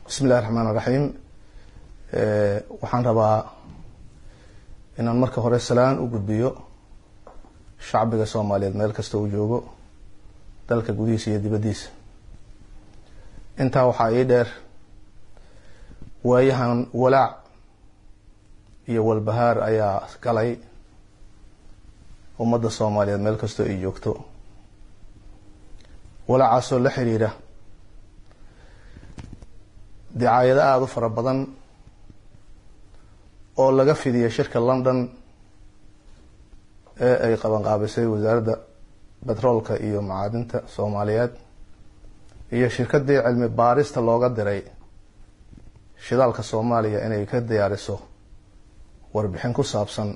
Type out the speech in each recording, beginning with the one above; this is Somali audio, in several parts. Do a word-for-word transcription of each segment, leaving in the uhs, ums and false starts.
Bismi illahi raxmaan iraxiim. Waxaan rabaa inaan marka hore salaan u gudbiyo shacbiga Soomaaliyeed meel kasta uu joogo, dalka gudihiisa iyo dibaddiisa. Intaa waxaa ii dheer, waayahan walaac iyo walbahaar ayaa galay ummadda Soomaaliyeed meel kastoo ay joogto, walaacaasoo la xiriira dicaayado aada u fara badan oo laga fidiyay shirka London ee ay qabanqaabisay Wasaaradda Betroolka iyo Macaadinta Soomaaliyeed iyo shirkadii cilmi baarista looga diray shidaalka Soomaaliya inay ka diyaariso warbixin ku saabsan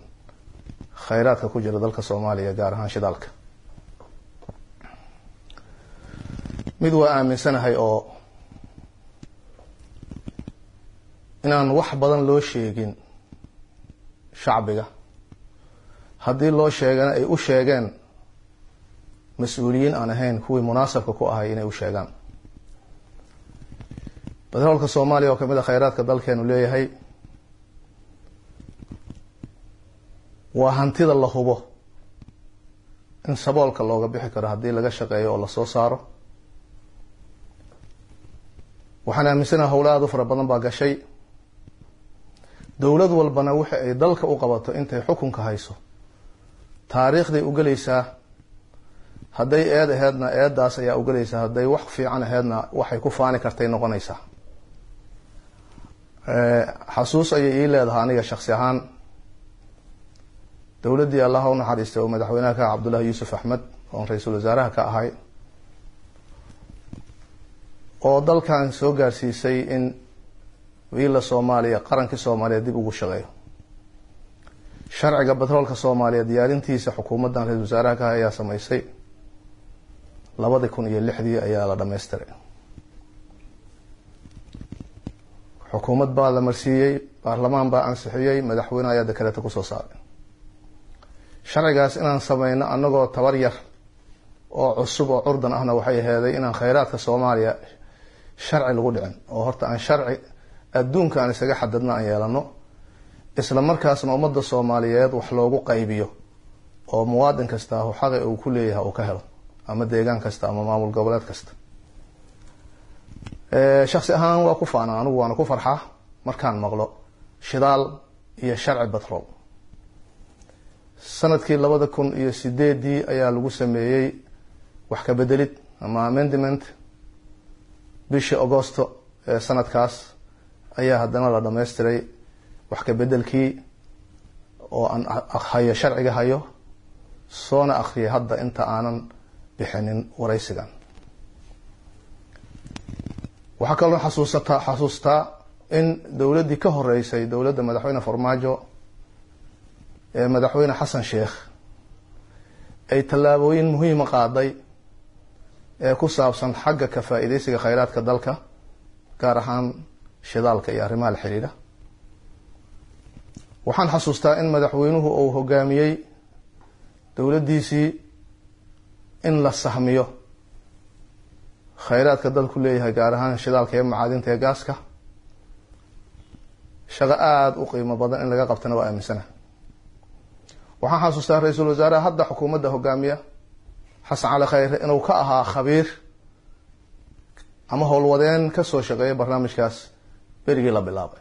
khayraadka ku jira dalka Soomaaliya, gaar ahaan shidaalka. Mid waa aaminsanahay oo inaan wax badan loo sheegin shacbiga, haddii loo sheegana ay u sheegeen mas-uuliyiin aan ahayn kuwii munaasabka ku ahay inay u sheegaan. Batroolka Soomaaliya oo kamid a khayraadka dalkeenu leeyahay waa hantida la hubo in saboolka looga bixi karo haddii laga shaqeeyo oo lasoo saaro. Waxaan aaminsanaha howla aada u fara badan baa gashay. Dowlad walbana wixi ay dalka u qabato intay xukunka hayso taariikhday ugelaysaa. Hadday eed aheedna eeddaas ayaa ugelaysaa, hadday wax fiican aheedna waxay ku faani kartay noqonaysaa. Xasuus ayay ii leedahay aniga shaksi ahaan dowladdii Allaha u naxariistay oo madaxweynaha ka ah Cabdullahi Yuusuf Axmed, oon ra-iisul wasaaraha ka ahay, oo dalkan soo gaarsiisay in wiila Soomaaliya qarankii Soomaaliya dib ugu shaqeeyo. Sharciga batroolka Soomaaliya diyaarintiisa xukuumaddan ra-isul wasaaraha ka ayaa sameysay, labadii kun iyo lixdii ayaa la dhammaystiray. Xukuumad baa la marsiiyey, baarlamaan baa ansixiyey, madaxweyne ayaa dekreeta kusoo saaray. Sharcigaas inaan sameyno annagoo tabar yar oo cusub oo curdan ahna waxay aheeday inaan khayraadka Soomaaliya sharci lagu dhicin, oo horta aan sharci adduunka aan isaga xadadna aan yeelano, isla markaasna ummadda Soomaaliyeed wax loogu qaybiyo oo muwaadin kasta xaqi uu ku leeyahay uu ka helo, ama deegaan kasta ama maamul goboleed kasta. Shaksi ahaan waa ku faanaa anigu, waana ku farxaa markaan maqlo shidaal iyo sharci batrool. Sanadkii labada kun iyo sideedii ayaa lagu sameeyey wax ka bedelid ama amendment. Bishii Agosto ee sanadkaas ayaa haddana la dhammaystiray wax ka bedelkii oo aan hayo, sharciga hayo, soona akriyay hadda inta aanan bixinin waraysigan. Waxaa kaloo xasuusataa xasuustaa in dowladdii ka horeysay dowladda madaxweyne Farmaajo ee madaxweyne Xasan Sheekh ay tallaabooyin muhiima qaaday ee ku saabsan xagga ka faa-iideysiga khayraadka dalka, gaar ahaan shidaalka iyo arrimaha la xiriira. Waxaan xasuustaa in madaxweynuhu uu hogaamiyey dowladdiisii in la sahmiyo khayraadka dalku leeyahay, gaar ahaan shidaalka iyo macaadinta ee gaaska. Shaqo aada u qiimo badan in laga qabtana waa aaminsana. Waxaan xasuustaa ra-iisul wasaaraha hadda xukuumadda hogaamiya Xasan Cali Khayre inuu ka ahaa khabiir ama howlwadeen kasoo shaqeeya barnaamijkaas berigii la bilaabay.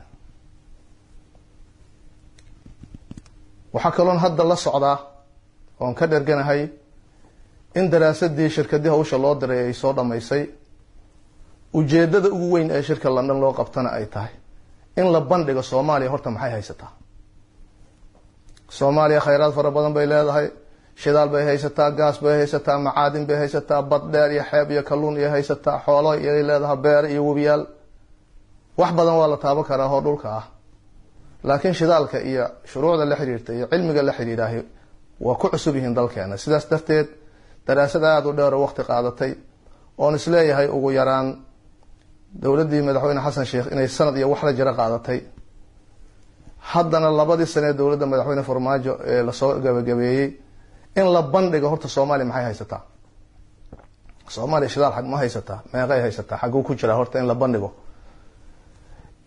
Waxaa kaloon hadda la socdaa oon ka dherganahay in daraasadii shirkadii hawsha loo diray ay soo dhamaysay. Ujeedada ugu weyn ee shirka London loo qabtana ay tahay in la bandhigo Soomaaliya horta maxay haysataa. Soomaaliya khayraad fara badan bay leedahay, shidaal bay haysataa, gaas bay haysataa, macaadin bay haysataa, bad dheer iyo xeeb iyo kalluun iyo haysataa, xoolo iyay leedahay, beere iyo webiyaal, wax badan waa la taaban karaa oo dhulka ah. Laakiin shidaalka iyo shuruucda la xiriirta iyo cilmiga la xiriiraahi waa ku cusub yihiin dalkeena. Sidaas darteed daraasad aada u dheer oo waqti qaadatay oon isleeyahay ugu yaraan dowladdii madaxweyne Xasan Sheekh inay sanad iyo wax la jiro qaadatay, haddana labadii sane ee dowladda madaxweyne Farmaajo ee lasoo gabagabeeyey, in la bandhigo horta Soomaaliya maxay haysataa, Soomaaliya shidaal xag ma haysataa, meeqay haysataa, xagguu ku jiraa, horta in la bandhigo.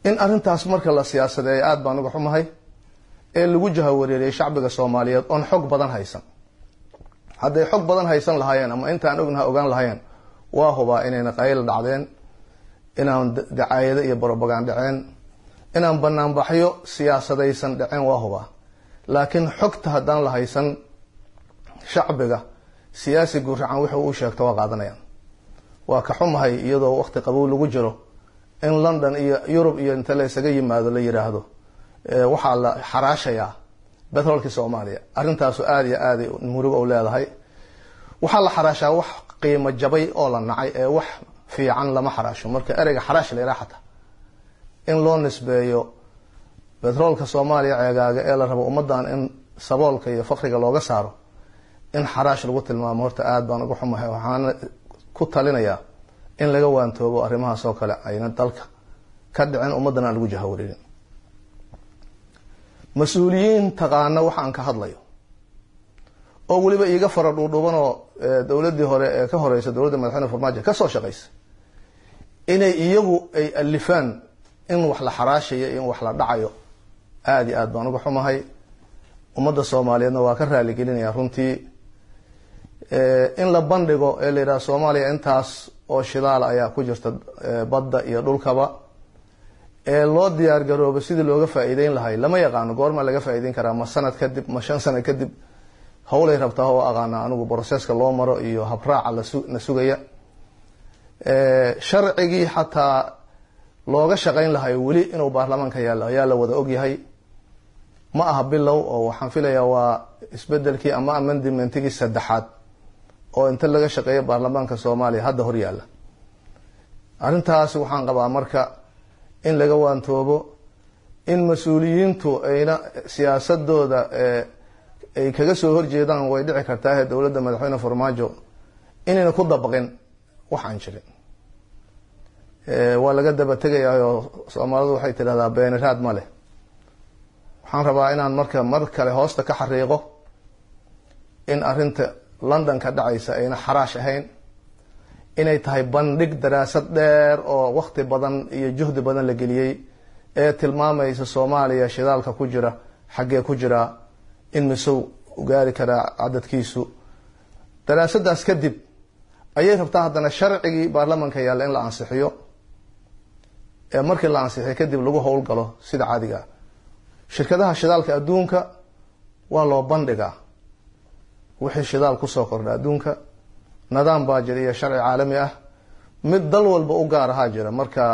In arrintaas marka la siyaasadeeyo aada baan uga xumahay, ee lagu jahawareeriyay shacbiga Soomaaliyeed oon xog badan haysan. Hadday xog badan haysan lahaayeen ama intaan ognaha ogaan lahaayeen, waa hubaa inayna qayl dhacdeen, inaan dacaayado iyo brobagand dhaceen, inaan banaanbaxyo siyaasadaysan dhaceen, waa hubaa. Laakiin xogta haddaan la haysan, shacbiga siyaasi guracan wuxuu u sheegto waa qaadanayaan. Waa ka xumahay iyadoo waqti qabow lagu jiro in London iyo Yurub iyo inta la isaga yimaado la yiraahdo waxaa la xaraashayaa betroolkii Soomaaliya. Arrintaasu aada iyo aaday murugo u leedahay. Waxaa la xaraashaa wax qiimo jabay oo la nacay, ee wax fiican lama xaraasho. Marka ereyga xaraash la yidhaha xataa in loo nisbeeyo betroolka Soomaaliya ceegaaga ee la rabo ummaddan in saboolka iyo fakriga looga saaro, in xaraash lagu tilmaamo horta aada baan uga xumahay. Waxaana ku talinayaa in laga waantoobo arrimahaas oo kale ayna dalka ka dhicin, ummaddan aan lagu jahawareerin. Mas-uuliyiin taqaana waxa aan ka hadlayo oo weliba iiga fara dhuudhuubanoo dowladdii hore ee ka horeysa dowladda madaxweyne Farmaajo ka soo shaqaysa, inay iyagu ay alifaan in wax la xaraashayo, in wax la dhacayo, aada iyo aad baan uga xumahay. Ummadda Soomaaliyeedna waa ka raaligelinaya runtii. In la bandhigo ee la yidhaha Soomaaliya intaas oo shidaal ayaa ku jirta badda iyo dhulkaba, ee loo diyaar garoobo sidii looga faa'iideyn lahay, lama yaqaano goormaa laga faa'iideyn karaa, ma sanad kadib, ma shan sano kadib, howlay rabtaa oo aqaana anigu broseska loo maro iyo habraaca lasu la sugaya. Sharcigii xataa looga shaqayn lahay weli inuu baarlamaanka yaallo ayaa la wada ogyahay. Ma aha bilow, oo waxaan filayaa waa isbedelkii ama amendmentigii saddexaad oo inta laga shaqeeyo baarlamaanka Soomaaliya hadda hor yaalla. Arrintaas waxaan qabaa marka in laga waantoobo, in mas-uuliyiintu ayna siyaasadooda ay kaga soo horjeedaan way dhici kartaa dowladda madaxweyne Farmaajo inayna ku dabaqin wax aan jirin. Waa laga daba tegayaa oo Soomaalidu waxay tidhahdaa beeniraad ma leh. Waxaan rabaa inaan marka mar kale hoosta ka xariiqo in arrinta London ka dhacaysa ayna xaraash ahayn, inay tahay bandhig daraasad dheer oo waqti badan iyo juhdi badan la geliyey ee tilmaamaysa Soomaaliya shidaalka ku jira xaggee ku jiraa, in misow gaari karaa cadadkiisu. Daraasadaas kadib ayay rabtaa haddana sharcigii baarlamaanka yaalla in la ansixiyo, ee markii la ansixiyo kadib lagu howlgalo sida caadiga. Shirkadaha shidaalka adduunka waa loo bandhigaa wixii shidaal kusoo kordha adduunka. Nidaam baa jira iyo sharci caalami ah, mid dal walba u gaar ahaa jira. Marka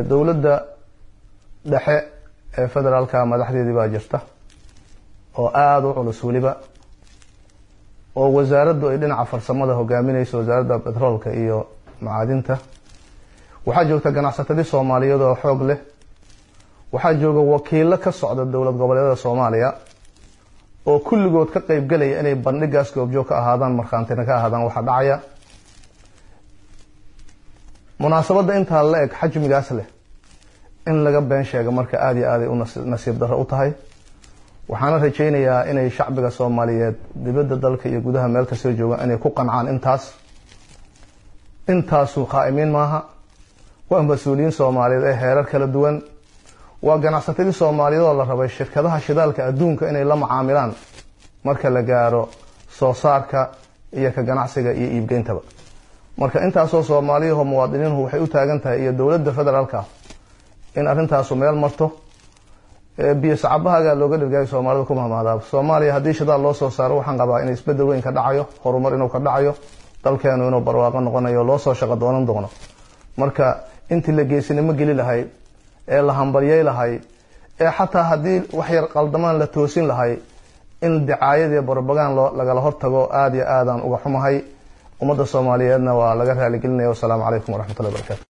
dowladda dhexe ee federaalka madaxdeedii baa jirta oo aada u culus weliba, oo wasaaraddu ay dhinaca farsamada hogaaminayso, wasaaradda betroolka iyo macaadinta. Waxaa joogta ganacsatadii Soomaaliyeed oo xoog leh, waxaa jooga wakiilo ka socda dowlad goboleedyada Soomaaliya oo kulligood ka qeybgelaya inay bandhigaas goobjoog ka ahaadaan, markhaantina ka ahaadaan waxaa dhacaya. Munaasabadda intaa la eg, xajmigaas leh, in laga been sheego marka aada iyo aaday u nasiib darro u tahay. Waxaana rajaynayaa inay shacbiga Soomaaliyeed dibadda dalka iyo gudaha meel kastoo joogaan inay ku qancaan intaas. Intaasu khaa'imiin maaha, waa mas-uuliyiin Soomaaliyeed ee heerar kala duwan, waa ganacsatadii Soomaaliyeed oo la rabay shirkadaha shidaalka adduunka inay la macaamilaan marka la gaaro soo saarka iyo ka ganacsiga iyo iibgeyntaba. Marka intaasoo Soomaaliyahoo muwaadiniinhu waxay u taagan tahay iyo dowladda federaalka in arrintaasu meel marto. Biyo sacabahaga looga dhirgaayo Soomaalida ku mahmahdaa. Soomaaliya haddii shidaal loo soo saaro, waxaan qabaa in isbedel weyn ka dhacayo, horumar inuu ka dhacayo, dalkeenu inuu barwaaqo noqonayo, loo soo shaqo doonan doono. Marka intii la geesinimo geli lahay ee la hambaryay lahay ee xataa haddii wax yar qaldamaan la toosin lahay, in dicaayad iyo brobagan loo lagala hortago aada iyo aadaan uga xumahay. Ummadda Soomaaliyeedna waa laga raaligelinaya. Wasalaamu calaykum waraxmatullahi wabarakatu.